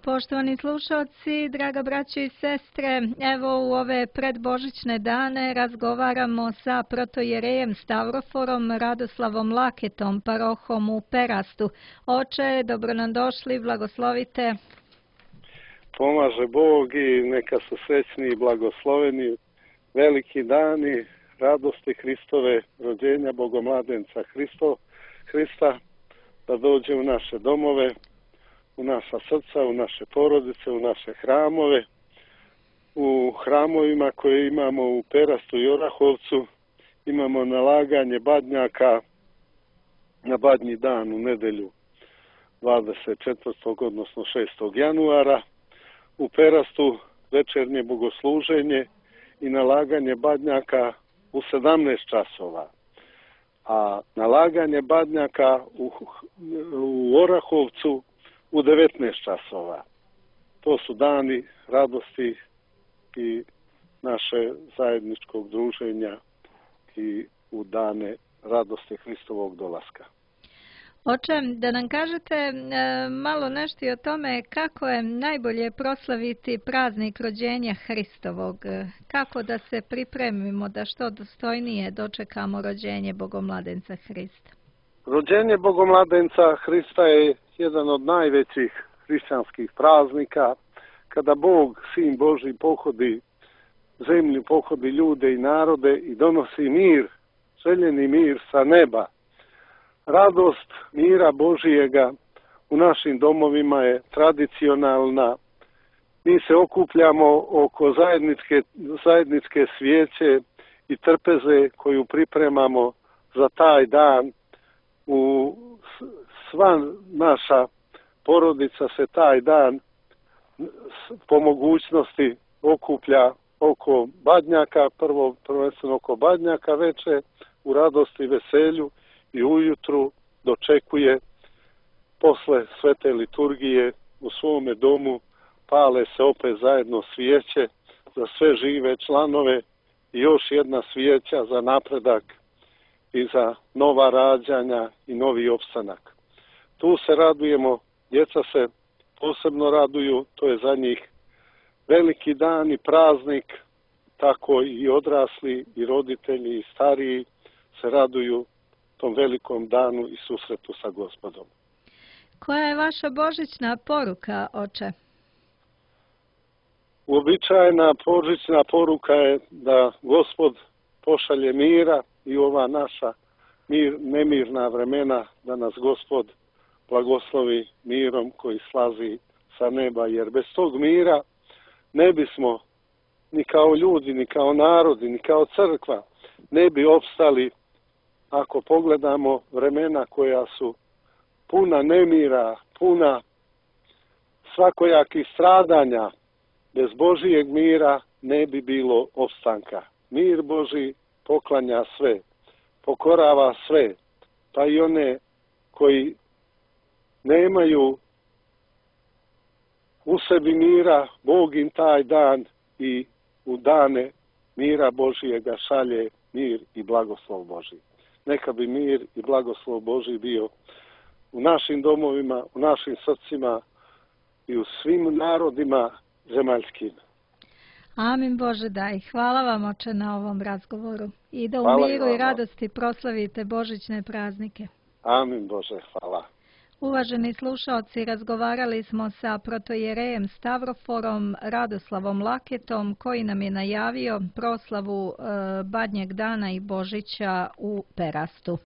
Poštovani slušalci, draga braćo i sestre, evo u ove predbožićne dane razgovaramo sa protojerejem Stavroforom Radoslavom Laketom, parohom u Perastu. Oče, dobro nam došli, blagoslovite. Pomaže Bog i neka su srećni i blagosloveni veliki dani radosti Hristove, rođenja Bogomladenca Hrista, da dođe u naše domove, u naša srca, u naše porodice, u naše hramove. U hramovima koje imamo u Perastu i Orahovcu imamo nalaganje badnjaka na badnji dan u nedelju 24. odnosno 6. januara. U Perastu večernje bogosluženje i nalaganje badnjaka u 17 časova. A nalaganje badnjaka u Orahovcu u 19 časova. To su dani radosti i naše zajedničkog druženja i u dane radosti Hristovog dolaska. Oče, da nam kažete malo nešto i o tome kako je najbolje proslaviti praznik rođenja Hristovog, kako da se pripremimo da što dostojnije dočekamo rođenje Bogomladenca Hrista. Rođenje Bogomladenca Hrista je jedan od najvećih hrišćanskih praznika, kada Bog, Sin Božji, pohodi zemlju, pohodi ljude i narode i donosi mir, željeni mir sa neba. Radost mira Božijega u našim domovima je tradicionalna. Mi se okupljamo oko zajedničke svijeće i trpeze koju pripremamo za taj dan. Sva naša porodica se taj dan po mogućnosti okuplja oko badnjaka, prvenstveno oko badnjaka veče, u radosti i veselju, i ujutru dočekuje posle svete liturgije u svome domu, pale se opet zajedno svijeće za sve žive članove i još jedna svijeća za napredak i za nova rađanja i novi opstanak. Tu se radujemo, djeca se posebno raduju, to je za njih veliki dan i praznik, tako i odrasli i roditelji i stariji se raduju tom velikom danu i susretu sa Gospodom. Koja je vaša božićna poruka, oče? Uobičajena božićna poruka je da Gospod pošalje mira i ova naša nemirna vremena, da nas Gospod blagoslovi mirom koji slazi sa neba, jer bez tog mira ne bismo ni kao ljudi, ni kao narodi, ni kao crkva ne bi opstali. Ako pogledamo vremena koja su puna nemira, puna svakojakih stradanja, bez Božijeg mira ne bi bilo opstanka. Mir Božji poklanja sve, pokorava sve, pa i one koji nemaju u sebi mira, Bog im taj dan i u dane mira Božijega šalje mir i blagoslov Božji. Neka bi mir i blagoslov Božji bio u našim domovima, u našim srcima i u svim narodima zemaljskim. Amin Bože daj. Hvala vam, oče, na ovom razgovoru. I da u miru i radosti proslavite božićne praznike. Amin Bože, hvala. Uvaženi slušalci, razgovarali smo sa protojerejem Stavroforom Radoslavom Laketom, koji nam je najavio proslavu Badnjeg dana i Božića u Perastu.